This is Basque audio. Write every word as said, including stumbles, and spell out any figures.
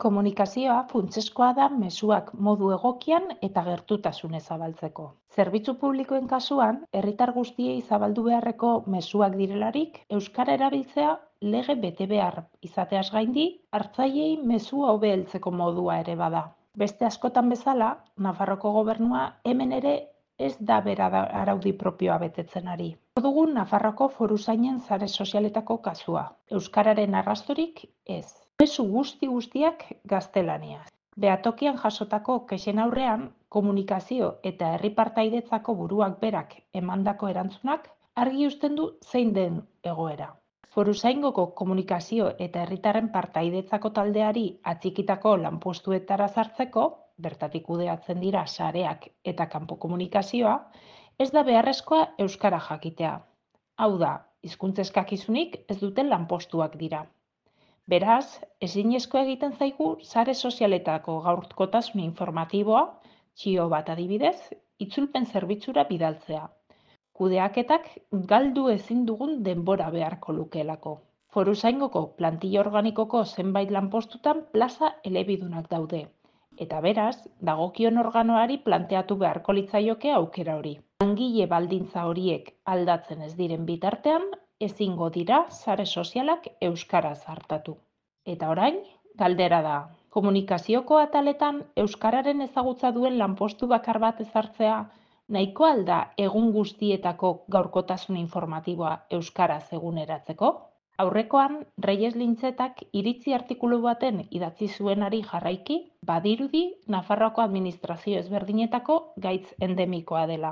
Komunikazioa funtsezkoa da mezuak modu egokian eta gertutasunez zabaltzeko. Zerbitzu publikoen kasuan, herritar guztiei zabaldu beharreko mezuak direlarik, euskara erabiltzea lege betebehar izateaz gaindi, hartzaileei mezua hobe heltzeko modua ere bada. Beste askotan bezala, Nafarroko gobernua hemen ere ez da bera da- araudi propioa betetzen ari. Hor dugu Nafarroko foruzainen sare sozialetako kasua. Euskararen arrastorik ez. Mezu guzti guztiak gaztelaniaz. Behatokian jasotako kexen aurrean, komunikazio eta herri partaidetzako buruak berak emandako erantzunak argi uzten du zein den egoera. Foruzaingoko komunikazio eta herritarren partaidetzako taldeari atxikitako lanpostuetara sartzeko, bertatik kudeatzen dira sareak eta kanpo komunikazioa, ez da beharrezkoa euskara jakitea. Hau da, hizkuntza eskakizunik ez duten lanpostuak dira. Beraz, ezinezkoa egiten zaigu sare sozialetako gaurkotasun informatiboa, txio bat adibidez, itzulpen zerbitzura bidaltzea. Kudeaketak galdu ezin dugun denbora beharko lukeelako. Foruzaingoko plantilla organikoko zenbait lanpostutan plaza elebidunak daude. Eta beraz, dagokion organoari planteatu beharko litzaioke aukera hori. Langile baldintza horiek aldatzen ez diren bitartean, ezingo dira sare sozialak euskaraz hartatu. Eta orain, galdera da. Komunikazioko ataletan euskararen ezagutza duen lanpostu bakar bat ezartzea nahiko alda egun guztietako gaurkotasun informatiboa euskaraz eguneratzeko? Aurrekoan, Reyes Lintzetak iritzi artikulu baten idatzi zuenari jarraiki, badirudi Nafarroako administrazio ezberdinetako gaitz endemikoa dela.